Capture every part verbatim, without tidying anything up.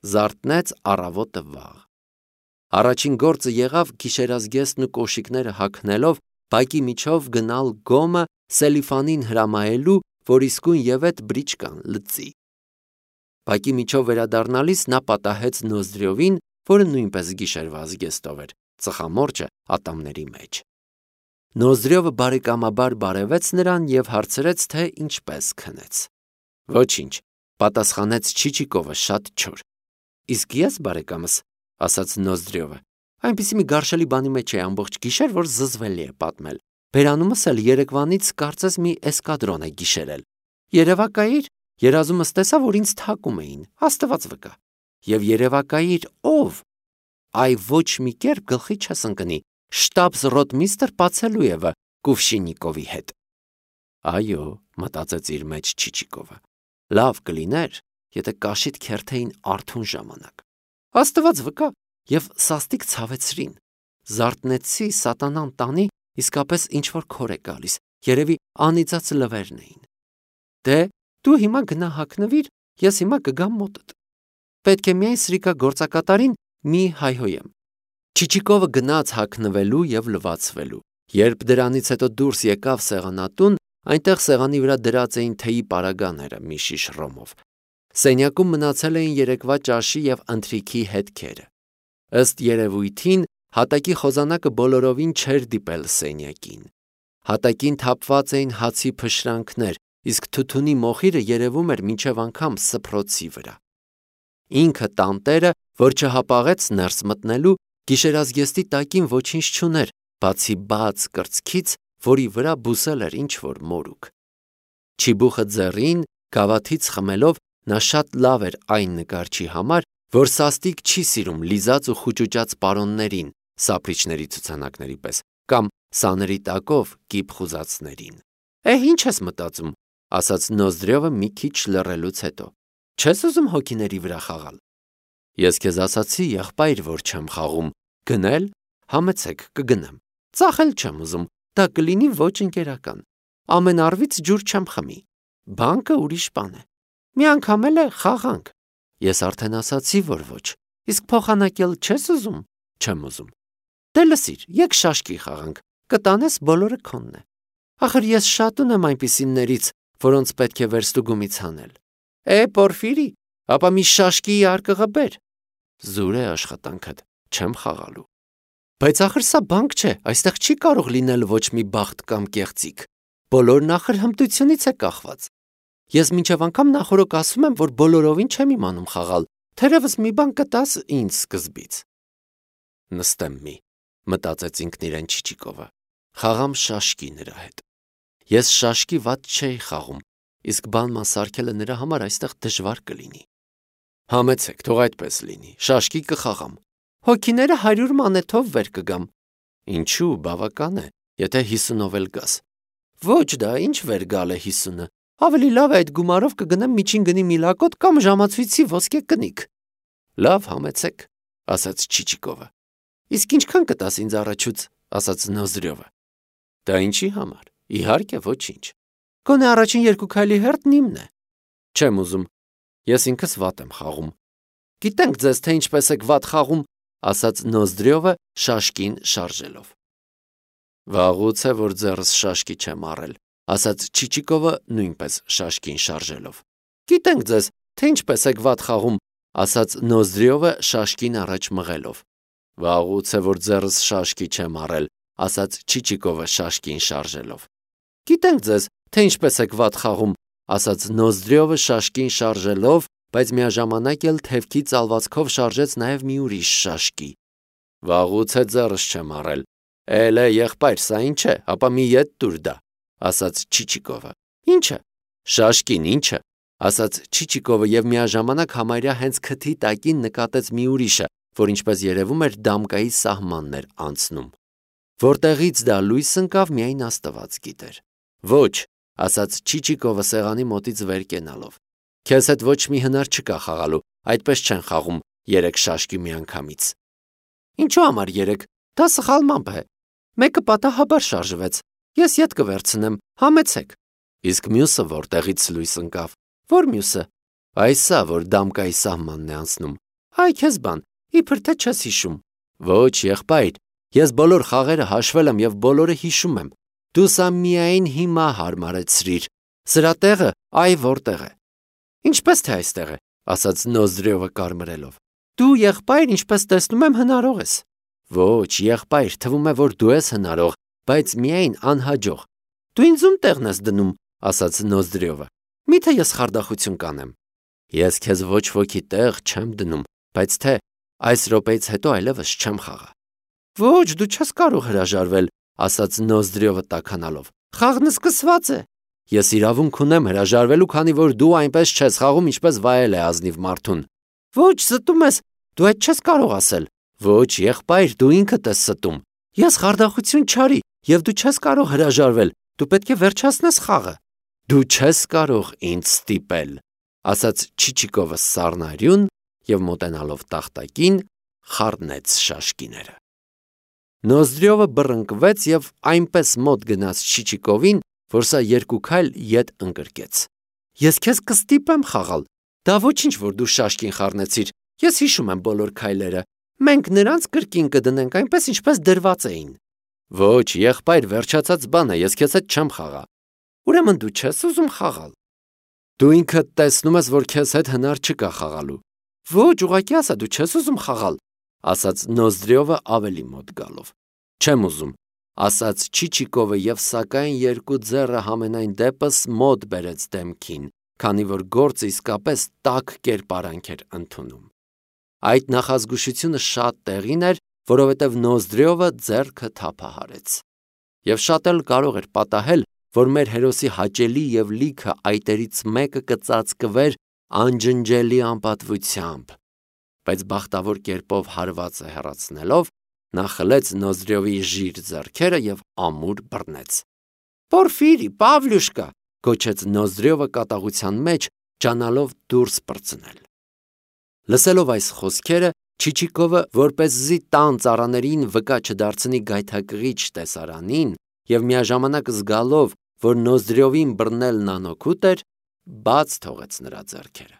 Զարթնեց առավոտը վաղ։ Առաջին գործը եղավ գիշերազգեստն ու կոշիկները հագնելով բակի միջով գնալ գոմը Սելիֆանին հրամայելու, որ իսկույն ևեթ բրիչկան լծի։ Բակի միջով վերադառնալիս նա պատահեց Նոզդրյովին, որը նույնպես գիշերվա զգեստով էր, ծխամորճը ատամների մեջ։ Նոզդրյովը բարեկամաբար բարևեց նրան և հարցրեց, թե ինչպես քնեց։ Ոչինչ, պատասխանեց Չիչիկովը շատ չոր։ Իսկ ես, բարեկամս, ասաց Նոզդրյովը, այնպիսի մի գարշելի բանի մեջ էի ամբողջ գիշեր, որ զզվելի է պատմել։ Բերանումս էլ երեկվանից կարծես մի էսկադրոն է գիշերել։ Երևակայիր, երազումս տեսա, որ ինձ թակում էին, Աստված վկա։ Եվ երևակայիր ով։ Այ ոչ մի կերպ գլխի չես ընկնի, շտաբս-ռոտմիստր Պացելույևը Կուվշիննիկովի հետ։ Այո, մտածեց իր մեջ Չիչիկովը, լավ կլիներ, եթե կաշիդ քերթեին արթուն ժամանակ։ Աստված վկա, և սաստիկ ցավեցրին։ Զարթնեցի, սատանան տանի, իսկապես ինչ-որ քոր է գալիս, երևի անիծած լվերն էին։ Դե, դու հիմա գնա հագնվիր, ես հիմա կգամ մոտդ։ Պետք է միայն սրիկա գործակատարին մի հայհոյեմ։ Չիչիկովը գնաց հագնվելու և լվացվելու։ Երբ դրանից հետո դուրս եկավ սեղանատուն, այնտեղ սեղանի վրա դրած էին թեյի պարագաները մի շիշ ռոմով։ Սենյակում մնացել էին երեկվա ճաշի և ընթրիքի հետքերը։ Ըստ երևույթին, հատակի խոզանակը բոլորովին չէր դիպել սենյակին։ Հատակին թափված էին հացի փշրանքներ, իսկ թութունի մոխիրը երևում էր մինչև անգամ սփռոցի վրա։ Ինքը տանտերը, որ չհապաղեց ներս մտնելու, գիշերազգեստի տակին ոչինչ չուներ, բացի բաց կրծքից, որի վրա բուսել էր ինչ-որ մորուք։ Չիբուխը ձեռին, գավաթից խմելով, նա շատ լավ էր այն նկարչի համար, որ սաստիկ չի սիրում լիզած ու խուճուճած պարոններին, սափրիչների ցուցանակների պես, կամ սաների տակով կիպ խուզածներին։ Է, ինչ ես մտածում, ասաց Նոզդրյովը մի քիչ լռելուց հետո։ Չես ուզում հոգիների վրա խաղալ։ Ես քեզ ասացի, եղբայր, որ չեմ խաղում, գնել, համեցեք, կգնեմ։ Ծախել չեմ ուզում, դա կլինի ոչ ընկերական։ Ամեն առվից ջուր չեմ խմի։ Բանկը ուրիշ բան է։ Մի անգամ էլ է խաղանք։ Ես արդեն ասացի, որ ոչ։ Իսկ փոխանակել չես ուզում։ Չեմ ուզում։ Դե լսիր, եկ շաշկի խաղանք, կտանես բոլորը քոնն է։ Ախր ես շատ ունեմ այնպիսիներից, որոնց պետք է վերստուգումից հանել։ Է, Պորֆիրի, ապա մի շաշկի արկղը բեր։ Զուր է աշխատանքդ, չեմ խաղալու։ Բայց ախր սա բանկ չէ, այստեղ չի կարող լինել ոչ մի բախտ կամ կեղծիք։ Բոլորն ախր հմտությունից է կախված։ Ես մինչև անգամ նախորոք ասում եմ, որ բոլորովին չեմ իմանում խաղալ, թերևս մի բան կտաս ինձ սկզբից։ Նստեմ մի, մտածեց ինքն իրեն Չիչիկովը, խաղամ շաշկի նրա հետ։ Ես շաշկի վատ չէի խաղում, իսկ բանման սարքելը նրա համար այստեղ դժվար կլինի։ Համեցեք, թող այդպես լինի, շաշկի կխաղամ։ Հոգիները հարյուր մանեթով վեր կգամ։ Ինչու, բավական է, եթե հիսունով էլ գաս։ Ոչ դա, ինչ վեր գալ է հիսունը։ Ավելի լավ է այդ գումարով կգնեմ միջին գնի միլակոտ կամ ժամացույցի ոսկե կնիկ։ Լավ, համեցեք, ասաց Չիչիկովը։ Իսկ ինչքան կտաս ինձ առաջուց, ասաց Նոզդրյովը։ Դա ինչի համար, իհարկե ոչինչ։ Գոնե առաջին երկու քայլի հերթն իմն է։ Չեմ ուզում, ես ինքս վատ եմ խաղում։ Գիտենք ձեզ, թե ինչպես եք վատ խաղում, ասաց Նոզդրյովը շաշկին շարժելով։ Վաղուց է, որ ձեռս շաշկի չեմ առել, ասաց Չիչիկովը նույնպես շաշկին շարժելով։ Գիտենք ձեզ, թե ինչպես եք վատ խաղում, ասաց Նոզդրյովը շաշկին առաջ մղելով։ Վաղուց է, որ ձեռս շաշկի չեմ առել, ասաց Չիչիկովը շաշկին շարժելով։ Գիտենք ձեզ, թե ինչպես եք վատ խաղում, ասաց Նոզդրյովը շաշկին շարժելով, բայց միաժամանակ էլ թևքի ծալվածքով շարժեց նաև մի ուրիշ շաշկի։ Վաղուց է ձեռս չեմ առել։ Էլ է, եղբայր, սա ինչ է, ապա մի ետ տուր դա, ասաց Չիչիկովը։ Ինչը։ Շաշկին ինչը, ասաց Չիչիկովը և միաժամանակ համարյա հենց քթի տակին նկատեց մի ուրիշը, որ ինչպես երևում էր դամկայի սահմանն էր անցնում։ Որտեղից դա լույս ընկավ, միայն Աստված գիտեր։ Ոչ, ասաց Չիչիկովը սեղանի մոտից վեր կենալով։ Քեզ հետ ոչ մի հնար չկա խաղալու, այդպես չեն խաղում երեք շաշկի միանգամից։ Ինչու համար երեք, դա սխալմամբ է։ Մեկը պատահաբար շարժվեց, ես ետ կվերցնեմ, համեցեք։ Իսկ մյուսը որտեղից լույս ընկավ։ Որ մյուսը։ Այսա, որ դամկայի սահմանն է անցնում, Այ քեզ բան, իբր թե չես հիշում։ Ոչ, եղբայր, ես բոլոր խաղերը հաշվել եմ եւ բոլորը հիշում եմ։ Դու սա միայն հիմա հարմարեցրիր։ Սրա տեղը այ որտեղ է։ Ինչպես թե այստեղ է, ասաց Նոզդրյովը կարմրելով։ Դու եղբայր, ինչպես տեսնում եմ, հնարող ես։ Ոչ, եղբայր, թվում է, որ դու ես հնարող, բայց միայն անհաջող։ Դու ինձ ում տեղն ես դնում, ասաց Նոզդրյովը։ Միթե ես խարդախություն կանեմ։ Ես քեզ ոչ ոքի տեղ չեմ դնում, բայց թե այս րոպեից հետո այլևս չեմ խաղա։ Ոչ, դու չես կարող հրաժարվել, ասաց Նոզդրյովը տաքանալով։ Խաղն սկսված է։ Ես իրավունք ունեմ հրաժարվելու, քանի որ դու այնպես չես խաղում, ինչպես վայել է ազնիվ մարդուն։ Ոչ, ստում ես, դու այդ չես կարող ասել։ Ոչ, եղբայր, դու ինքդ ես ստում։ Ես խարդախություն չարի, եւ դու չես կարող հրաժարվել։ Դու պետք է վերջացնես խաղը։ Դու չես կարող ինձ ստիպել, ասաց Չիչիկովը սառնարյուն եւ մոտենալով տախտակին խառնեց շաշկիները։ Նոզդրյովը բռնկվեց եւ այնպես մոտ գնաց Չիչիկովին, որ սա երկու քայլ ետ ընկրկեց։ Ես քեզ կստիպեմ խաղալ։ Դա ոչինչ, որ դու շաշկին խառնեցիր։ Ես հիշում եմ բոլոր քայլերը։ Մենք նրանց կրկին կդնենք այնպես, ինչպես դրված էին։ Ոչ, եղբայր, վերջացած բան է, ես քեզ հետ չեմ խաղա։ Ուրեմն դու չես ուզում խաղալ։ Դու ինքդ տեսնում ես, որ քեզ հետ հնար չկա խաղալու։ Ոչ, ուղղակի ասա, դու չես ուզում խաղալ, ասաց Նոզդրյովը ավելի մոտ գալով։ Չեմ ուզում, ասաց Չիչիկովը եւ սակայն երկու ձեռը համենայն դեպս մոտ բերեց դեմքին, քանի որ գործը իսկապես տաք կերպարանք էր ընդունում։ Այդ նախազգուշությունը շատ տեղին էր, որովհետև Նոզդրյովը ձեռքը թափահարեց։ Եվ շատ էլ կարող էր պատահել, որ մեր հերոսի հաճելի եւ լիքը այտերից մեկը կծածկվեր անջնջելի անպատվությամբ, բայց բախտավոր կերպով հարվածը հեռացնելով, նա խլեց Նոզդրյովի ժիր ձեռքերը եւ ամուր բռնեց։ Պորֆիրի, Պավլյուշկա, գոչեց Նոզդրյովը կատաղության մեջ, ջանալով դուրս պրծնել։ Լսելով այս խոսքերը, Չիչիկովը, որպեսզի տան ծառաներին վկա չդարձնի գայթակղիչ տեսարանին եւ միաժամանակ զգալով, որ Նոզդրյովին բռնելն անօգուտ էր, բաց թողեց նրա ձեռքերը։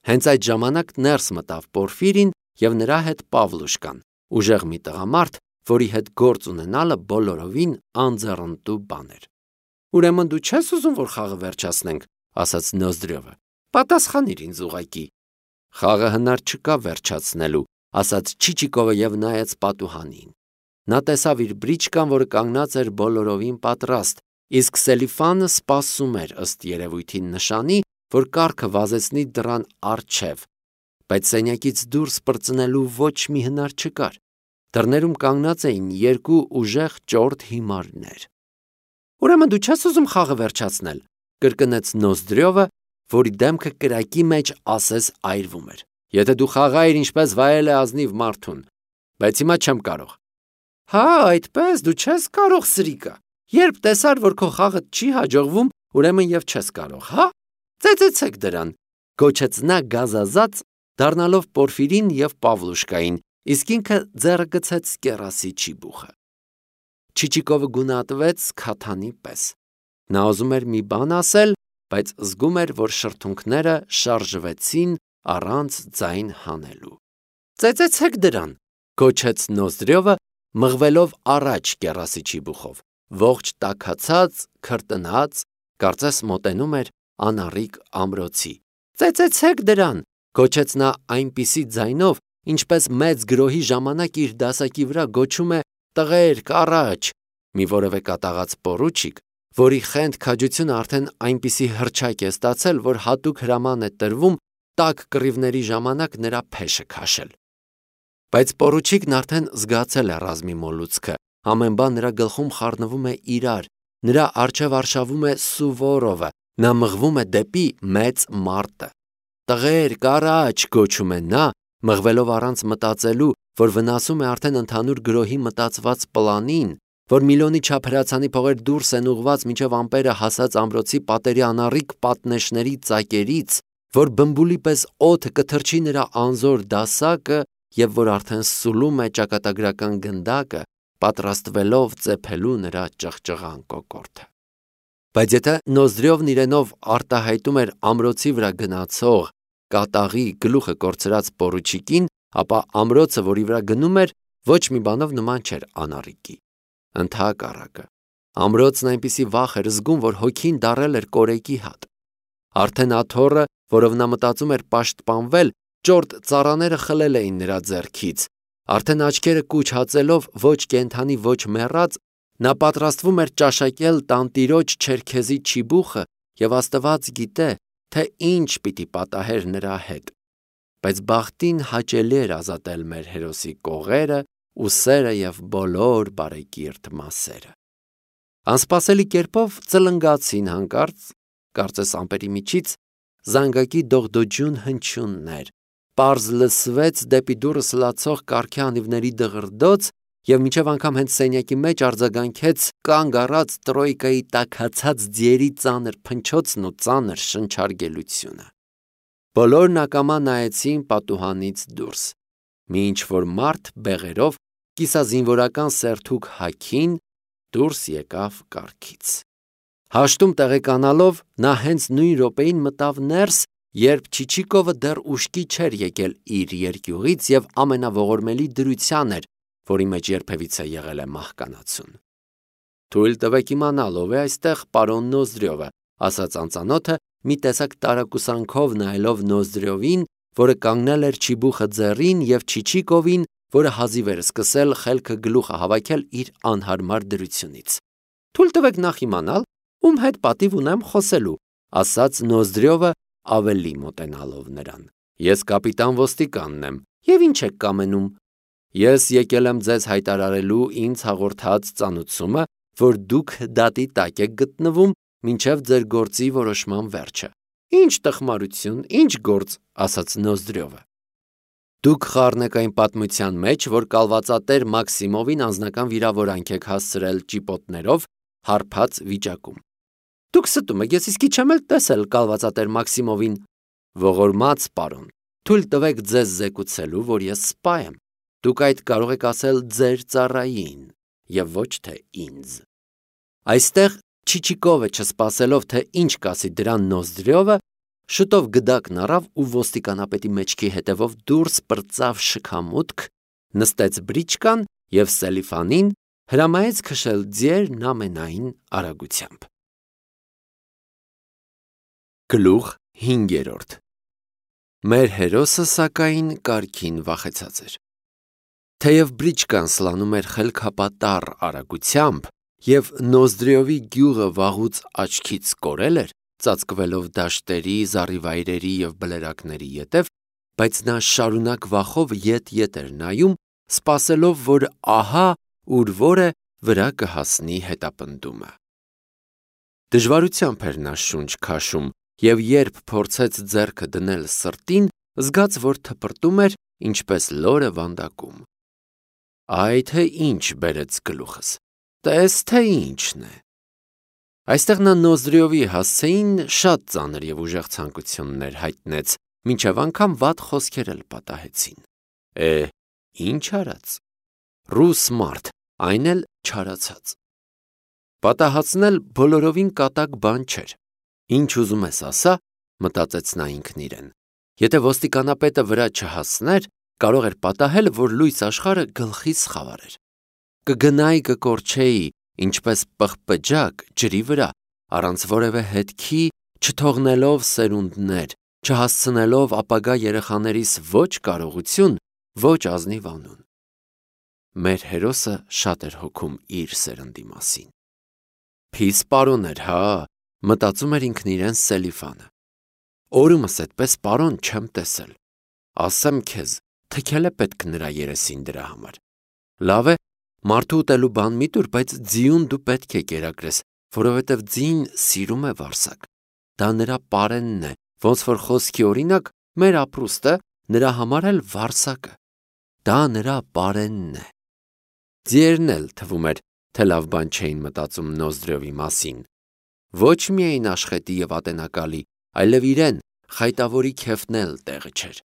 Հենց այդ ժամանակ ներս մտավ Պորֆիրին եւ նրա հետ Պավլուշկան, ուժեղ մի տղամարդ, որի հետ գործ ունենալը բոլորովին անձեռնտու բան էր։ Ուրեմն դու չես ուզում, որ խաղը վերջացնենք, ասաց Նոզդրյովը։ Պատասխանիր ինձ ուղակի։ Խաղը հնար չկա վերջացնելու, ասաց Չիչիկովը եւ նայեց պատուհանին։ Նա տեսավ իր բրիչկան, որը կանգնած էր բոլորովին պատրաստ, իսկ Սելիֆանը սպասում էր ըստ երևույթին նշանի, որ կառքը վազեցնի դռան առջև, բայց սենյակից դուրս պրծնելու ոչ մի հնար չկար։ Դռներում կանգնած էին երկու ուժեղ ճորտ հիմարներ։ Ուրեմն դու չես ուզում խաղը վերջացնել, կրկնեց Նոզդրյովը, որի դեմքը կրակի մեջ ասես այրվում էր։ Եթե դու խաղայիր ինչպես վայել է ազնիվ մարդուն, բայց հիմա չեմ կարող։ Հա, այդպես դու չես կարող, սրիկա։ Երբ տեսար, որ քո խաղը չի հաջողվում, ուրեմն եւ չես կարող, հա։ Ծեծեցեք դրան, գոչեց նա գազազած, դառնալով Պորֆիրին եւ Պավլուշկային, իսկ ինքը ձեռը գցեց կեռասի չիբուխը։ Չիչիկովը գունատվեց քաթանի պես։ Նա ուզում էր մի բան ասել, բայց զգում էր, որ շրթունքները շարժվեցին առանց ձայն հանելու։ Ծեծեցեք դրան, գոչեց Նոզդրյովը, մղվելով առաջ կեռասի չիբուխով, ողջ տաքացած, քրտնած, կարծես մոտենում էր անառիկ ամրոցի։ Ծեծեցեք դրան, գոչեց նա այնպիսի ձայնով, ինչպես մեծ գրոհի ժամանակ իր դասակի վրա գոչում է տղերք առաջ, մի որևէ կատաղած պորուչիկ, որի խենթ քաջությունը արդեն այնպիսի հռչակ է ստացել, որ հատուկ հրաման է տրվում տաք կռիվների ժամանակ նրա փեշը քաշել։ Բայց պորուչիկն արդեն զգացել է ռազմի մոլուցքը, ամեն բան նրա գլխում խառնվում է իրար, նրա առջև արշավում է Սուվորովը, նա մղվում է դեպի մեծ մարտը։ Տղերք առաջ, գոչում է նա, մղվելով առանց մտածելու, որ վնասում է արդեն ընդհանուր գրոհի մտածված պլանին, որ միլիոնի չափ հրացանի փողեր դուրս են ուղված մինչև ամպերը հասած ամրոցի պատերի անառիկ պատնեշների ծակերից, որ բմբուլի պես օդը կթրջի նրա անզոր դասակը եւ որ արդեն սուլում է ճակատագրական գնդակը, պատրաստվելով ծեփելու նրա ճղճղան կոկորդը։ Բայց եթե Նոզդրյովն իրենով արտահայտում էր ամրոցի վրա գնացող կատաղի գլուխը կորցրած պորուչիկին, ապա ամրոցը, որի վրա գնում էր, ոչ մի բանով նման չէր անառիկի։ Ընդհակառակը, ամրոցն այնպիսի վախ էր զգում, որ հոգին դառել էր կորեկի հատ։ Արդեն աթոռը, որով նա մտածում էր պաշտպանվել, ճորտ ծառաները խլել էին նրա ձեռքից։ Արդեն աչքերը կուչ հացելով ոչ կենդանի, ոչ մեռած, նա պատրաստվում էր ճաշակել տանտիրոջ չերքեզի չիբուխը և Աստված գիտե, թե ինչ պիտի պատահեր նրա հետ։ Բայց բախտին հաճելի էր ազատել մեր հերոսի կողերը, ուսերը և բոլոր բարեկիրթ մասերը։ Անսպասելի կերպով ծլնգացին հանկարծ, կարծես ամպերի միջից, զանգակի դողդոջուն հնչյուններ, պարզ լսվեց դեպի դուռը սլացող կառքի անիվների դղրդոց և մինչև անգամ հենց սենյակի մեջ արձագանքեց կանգ առած տրոյկայի տաքացած ձիերի ծանր փնչոցն ու ծանր շնչարգելությունը։ Բոլորն ակամա նայեցին պատուհանից դուրս։ Մի ինչ-որ մարդ բեղերով, կիսազինվորական սերթուկ հագին, դուրս եկավ կառքից։ Հաշտում տեղեկանալով, նա հենց նույն րոպեին մտավ ներս, երբ Չիչիկովը դեռ ուշքի չէր եկել իր երկյուղից և ամենաողորմելի դրության էր, որի մեջ երբևիցե եղել է մահկանացուն։ «Թույլ տվեք իմանալ, ով է այստեղ պարոն Նոզդրյովը», ասաց անծանոթը, մի տեսակ տարակուսանքով նայելով Նոզդրյովին, որը կանգնել էր չիբուխը ձեռին, և Չիչիկովին, որը հազիվ էր սկսել խելքը գլուխը հավաքել իր անհարմար դրությունից։ «Թույլ տվեք նախ իմանալ, ում հետ պատիվ ունեմ խոսելու», ասաց Նոզդրյովը ավելի մոտենալով նրան։ «Ես կապիտան ոստիկանն եմ, և ինչ եք կամենում»։ «Ես եկել եմ ձեզ հայտարարելու ինձ հաղորդած ծանուցումը, որ դուք դատի տակ եք գտնվում մինչև ձեր գործի որոշման վերջը»։ «Ինչ տխմարություն, ինչ գործ», ասաց Նոզդրյովը։ «Դուք խառն եք այն պատմության մեջ, որ կալվածատեր Մաքսիմովին անձնական վիրավորանք եք հասցրել ճիպոտներով, հարբած վիճակում»։ «Դուք ստում եք, ես իսկի չեմ էլ տեսել կալվածատեր Մաքսիմովին»։ «Ողորմած պարոն, թույլ տվեք ձեզ զեկուցելու, որ ես սպա եմ։ Դուք այդ կարող եք ասել ձեր ծառային և ոչ թե ինձ»։ Այստեղ Չիչիկովը, չսպասելով, թե ինչ կասի դրան Նոզդրյովը, շուտով գդակն առավ ու ոստիկանապետի մեջքի հետևով դուրս պրծավ շքամուտք, նստեց բրիչկան և Սելիֆանին հրամայեց քշել ձիերն ամենայն արագությամբ։ Գլուխ հինգերորդ։ Մեր հերոսը, սակայն, կարգին վախեցած էր։ Թեև բրիչկան սլանում էր խելքապատառ արագությամբ, և Նոզդրյովի գյուղը վաղուց աչքից կորել էր, ծածկվելով դաշտերի, զառիվայրերի և բլրակների ետև, բայց նա շարունակ վախով ետ-ետ էր նայում, սպասելով, որ ահա ուր որ է վրա կհասնի հետապնդումը։ Դժվարությամբ էր նա շունչ քաշում, և երբ փորձեց ձեռքը դնել սրտին, զգաց, որ թպրտում էր, ինչպես լորը վանդակում։ Այ թե ինչ բերեց գլուխս, տես թե ինչն է։ Այստեղ նա Նոզդրյովի հասցեին շատ ծանր և ուժեղ ցանկություններ հայտնեց, մինչև անգամ վատ խոսքեր էլ պատահեցին։ Է, ինչ արած։ Ռուս մարդ, այն էլ չարացած։ Պատահածնել բոլորովին կատակ բան չէր։ Ինչ ուզում ես ասա, մտածեց նա ինքն իրեն։ Եթե ոստիկանապետը վրա չհասներ, կարող էր պատահել, որ լույս աշխարհը գլխիս խավարեր։ Կգնայի կկորչեի, ինչպես պղպջակ ջրի վրա, առանց որևէ հետքի, չթողնելով սերունդներ, չհասցնելով ապագա երեխաներիս ոչ կարողություն, ոչ ազնիվ անուն։ Մեր հերոսը շատ էր հոգում իր սերնդի մասին։ Փիս պարոն էր, հա, մտածում էր ինքն իրեն Սելիֆանը։ Օրումս այդպես պարոն չեմ տեսել։ Ասեմ քեզ, թքել է պետք նրա երեսին դրա համար։ Լավ է, մարդու ուտելու բան մի տուր, բայց ձիուն դու պետք է կերակրես, որովհետև ձին սիրում է վարսակ։ Դա նրա պարենն է, ոնց որ խոսքի օրինակ, մեր ապրուստը, նրա համար էլ վարսակը։ Դա նրա պարենն է։ Ձիերն էլ թվում էր, թե լավ բան չէին մտածում Նոզդրյովի մասին։ Ոչ միայն աշխատի և ատենակալի, այլև իրեն, խայտավորի քեֆն էլ տեղը չէր։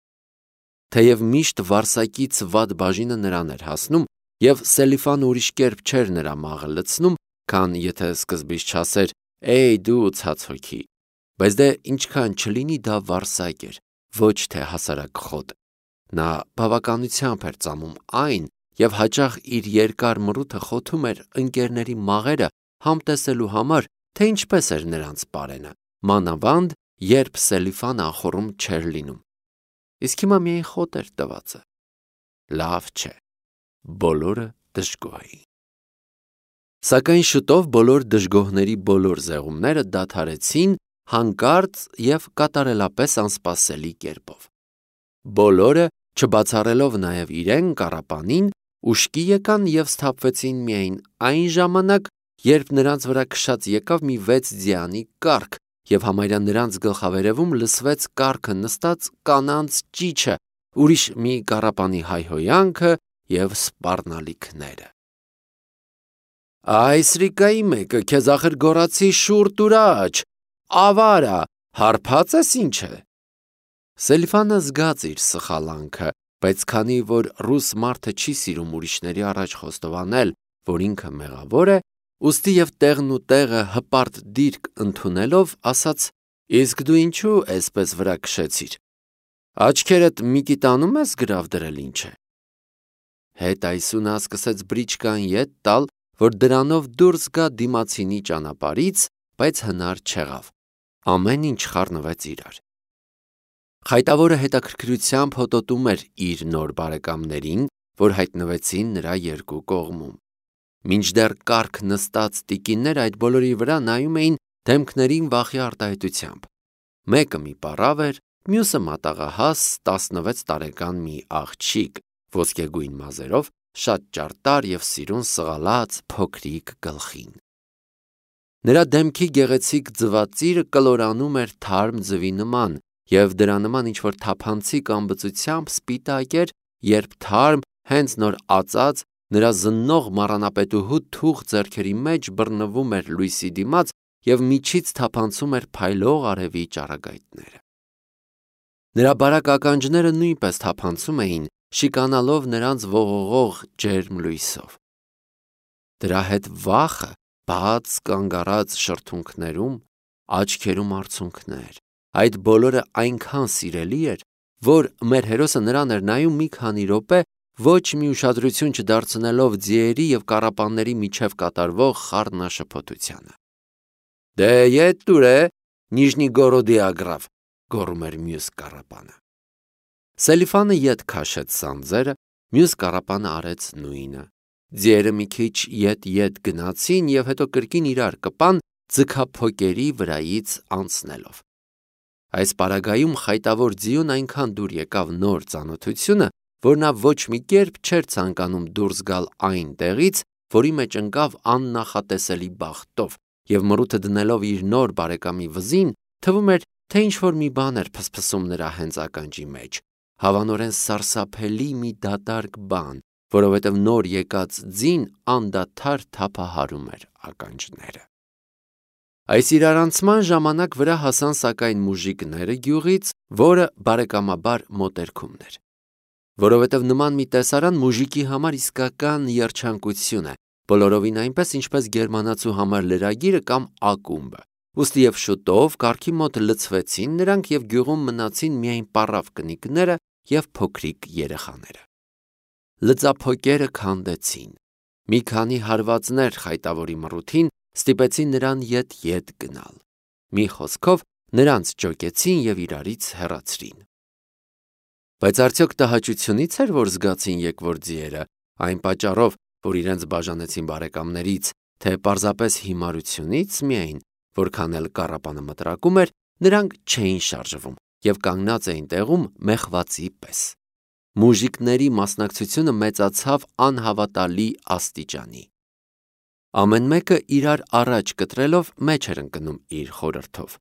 Թեև միշտ վարսակից վատ բաժինը նրան էր հասնում, և Սելիֆան ուրիշ կերպ չէր նրա մաղը լցնում, քան եթե սկզբից չասեր. «Էй դու ցած հոգի», բայց դե ինչքան չլինի դա վարսակ էր, ոչ թե հասարակ խոտ։ Նա բավականությամբ էր ծամում այն և հաճախ իր երկար մռութը խոթում էր ընկերների մաղերը համտեսելու համար, թե ինչպես էր նրանց պարենը, մանավանդ, երբ Սելիֆան անխոռում չէր լինում։ Իսկ հիմա միայն խոտ էր տվածը։ Լավ չէ, բոլորը դժգոհ էին։ Սակայն շուտով բոլոր դժգոհների բոլոր զեղումները դադարեցին հանկարծ և կատարելապես անսպասելի կերպով։ Բոլորը, չբացառելով նաև իրեն կառապանին, ուշքի եկան և սթափվեցին միայն այն ժամանակ, երբ նրանց վրա քշած եկավ մի վեց ձիանի կառք, և համարյա նրանց գլխավերևում լսվեց կառքը նստած կանանց ճիչը, ուրիշ մի կառապանի հայհոյանքը և սպառնալիքները։ «Այ սրիկայի մեկը, քեզ ախր գոռացի շուռ տուր աջ, ավարա, հարբած ես ինչ է»։ Սելիֆանը զգաց իր սխալանքը, բայց քանի որ ռուս մարդը չի սիրում ուրիշների առաջ խոստովանել, որ ինքը մեղավոր է, ուստի և տեղն ու տեղը հպարտ դիրք ընդունելով, ասաց. «Իսկ դու ինչու էսպես վրա քշեցիր, աչքերդ միկիտանում ես գրավ դրել ինչ է»։ Հետ այսու նա սկսեց բրիչկան ետ տալ, որ դրանով դուրս գա դիմացինի ճանապարհից, բայց հնար չեղավ։ Ամեն ինչ խառնվեց իրար։ Խայտավորը հետաքրքրությամբ հոտոտում էր իր նոր բարեկամներին, որ հայտնվեցին նրա երկու կողմում։ Մինչդեռ կառք նստած տիկինները այդ բոլորի վրա նայում էին դեմքներին վախի արտահայտությամբ։ Մեկը մի պառավ էր, մյուսը մատաղահաս տասնվեց տարեկան մի աղջիկ, ոսկեգույն մազերով, շատ ճարտար և սիրուն սղալած փոքրիկ գլխին։ Նրա դեմքի գեղեցիկ ձվածիրը կլորանում էր թարմ ձվի նման, և դրա նման ինչ-որ թափանցիկ ամբծությամբ սպիտակ էր, երբ թարմ, հենց նոր ածած, նրա զննող մառանապետուհու թուխ ձեռքերի մեջ բռնվում էր լույսի դիմաց և միջից թափանցում էր փայլող արևի ճառագայթները։ Նրա բարակ ականջները նույնպես թափանցում էին, շիկանալով նրանց ողողող ջերմ լույսով։ Դրա հետ վախը բաց կանգ առած շրթունքներում, աչքերում արցունքներ, այդ բոլորը այնքան սիրելի էր, որ մեր հերոսը նրան էր նայում մի քանի րոպե, ոչ մի ուշադրություն չդարձնելով ձիերի և կառապանների միջև կատարվող խառնաշփոթությանը։ «Դե ետ տուր է, Նիժնիգորոդի ագրավ», գոռում էր մյուս կառապանը։ Սելիֆանը ետ քաշեց սանձերը, մյուս կառապանը արեց նույնը։ Ձիերը մի քիչ ետ-ետ գնացին և հետո կրկին իրար կպան, ձգափոկերի վրայից անցնելով։ Այս պարագայում խայտավոր ձիուն այնքան դուր եկավ նոր ծանոթությունը, որ նա ոչ մի կերպ չէր ցանկանում դուրս գալ այն տեղից, որի մեջ ընկավ աննախատեսելի բախտով, և մռութը դնելով իր նոր բարեկամի վզին, թվում էր, թե ինչ-որ մի բան էր փսփսում նրա հենց ականջի մեջ, հավանորեն սարսափելի մի դատարկ բան, որովհետև նոր եկած ձին անդադար թափահարում էր ականջները։ Այս իրարանցման ժամանակ վրա հասան սակայն մուժիկները գյուղից, որը բարեկամաբար մոտերքումն էր։ Որովհետև նման մի տեսարան մուժիկի համար իսկական երջանկություն է, բոլորովին այնպես, ինչպես գերմանացու համար լրագիրը կամ ակումբը, ուստի և շուտով կառքի մոտ լցվեցին նրանք և գյուղում մնացին միայն պառավ կնիկները և փոքրիկ երեխաները։ Լծափոկերը քանդեցին։ Մի քանի հարվածներ խայտավորի մռութին ստիպեցին նրան ետ-ետ գնալ։ Մի խոսքով, նրանց ճոկեցին և իրարից հեռացրին։ Բայց արդյոք տհաճությունի՞ց էր, որ զգացին եկվոր ձիերը, այն պատճառով, որ իրենց բաժանեցին բարեկամներից, թե պարզապես հիմարությունից միայն, որքան էլ կառապանը մտրակում էր, նրանք չէին շարժվում և կանգնած էին տեղում մեղվածի պես։ Մուժիկների մասնակցությունը մեծացավ անհավատալի աստիճանի։ Ամեն մեկը իրար առաջ կտրելով մեջ էր ընկնում իր խորհրդով։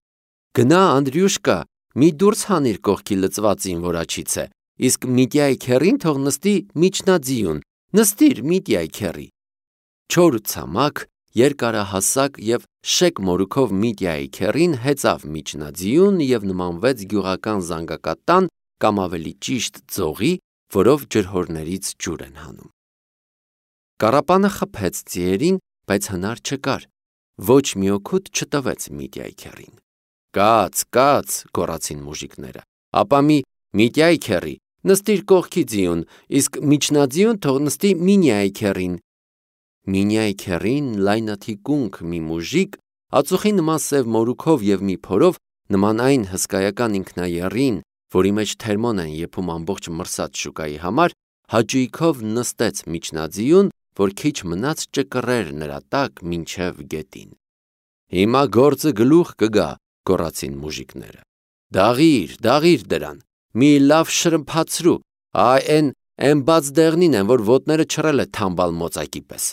«Գնա, Անդրյուշկա, մի դուրս հանիր կողքի լծվածին, որ աջից է, իսկ Միտյայի քեռին թող նստի միջնաձիուն, նստիր Միտյայի քեռի»։ Չոր ու ցամաք, երկարահասակ և շեկ մորուքով Միտյայի քեռին հեծավ միջնաձիուն և նմանվեց գյուղական զանգակատան կամ ավելի ճիշտ ձողի, որով ջրհորներից ջուր են հանում։ Կառապանը խփեց ձիերին, բայց հնար չկար, ոչ մի օգուտ չտվեց Միտյայի քեռին։ «Կաց, կաց», գոռացին մուժիկները, Ապա մի Միտյայի քեռի նստիր կողքի ձիուն, իսկ միջնաձիուն թող նստի Մինյայի քեռին։ Մինյայի քեռին լայնաթիկունք մի մուժիկ, ածուխի նման սև մորուքով և մի փորով, նման այն հսկայական ինքնաեռին, որի մեջ թերմոն են եփում ամբողջ մրսած շուկայի համար, հաճույքով նստեց միջնաձիուն, որ քիչ մնաց ճկռեր նրա տակ մինչև գետին։ Հիմա գործը գլուխ կգա, գոռացին մուժիկները։ Դաղիր, դաղիր դրան, մի լավ շրմփացրու, այ էն էն բաց դեղնին են, որ ոտները չռել է թամբալ մոծակի պես։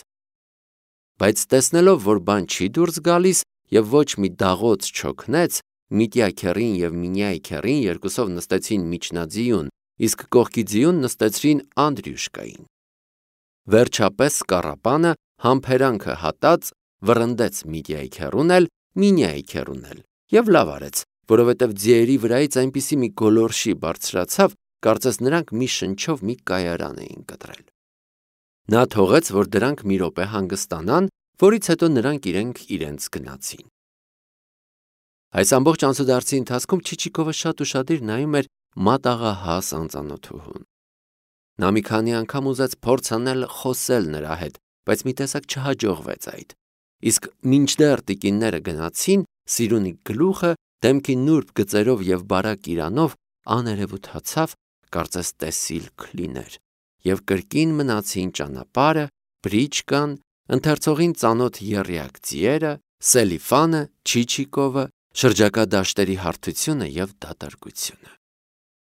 Բայց տեսնելով, որ բան չի դուրս գալիս և ոչ մի դաղոց չօգնեց, Միտյա քեռին և Մինյայի քեռին երկուսով նստեցին միջնաձիուն, իսկ կողքի ձիուն նստեցրին Անդրյուշկային։ Վերջապես սկառապանը համբերանքը հատած վռնդեց Միտյայի քեռուն էլ, Մինյայի քեռուն էլ, և լավ արեց, որովհետև ձիերի վրայից այնպիսի մի գոլորշի բարձրացավ, կարծես նրանք մի շնչով մի կայարան էին կտրել։ Նա թողեց, որ դրանք մի րոպե հանգստանան, որից հետո նրանք իրենք իրենց գնացին։ Այս ամբողջ անցուդարձի ընթացքում Չիչիկովը շատ ուշադիր նայում էր մատաղահաս անծանոթուհուն։ Նա մի քանի անգամ ուզեց փորձ անել խոսել նրա հետ, բայց մի տեսակ չհաջողվեց այդ։ Իսկ մինչդեռ տիկինները գնացին, Սիրունի գլուխը դեմքի նուրբ գծերով և բարակ իրանով աներևութացավ, կարծես տեսիլք լիներ, և կրկին մնացին ճանապարհը, բրիչկան, ընթերցողին ծանոթ եռյակ ձիերը, Սելիֆանը, Չիչիկովը, շրջակա դաշտերի հարթությունը և դատարկությունը։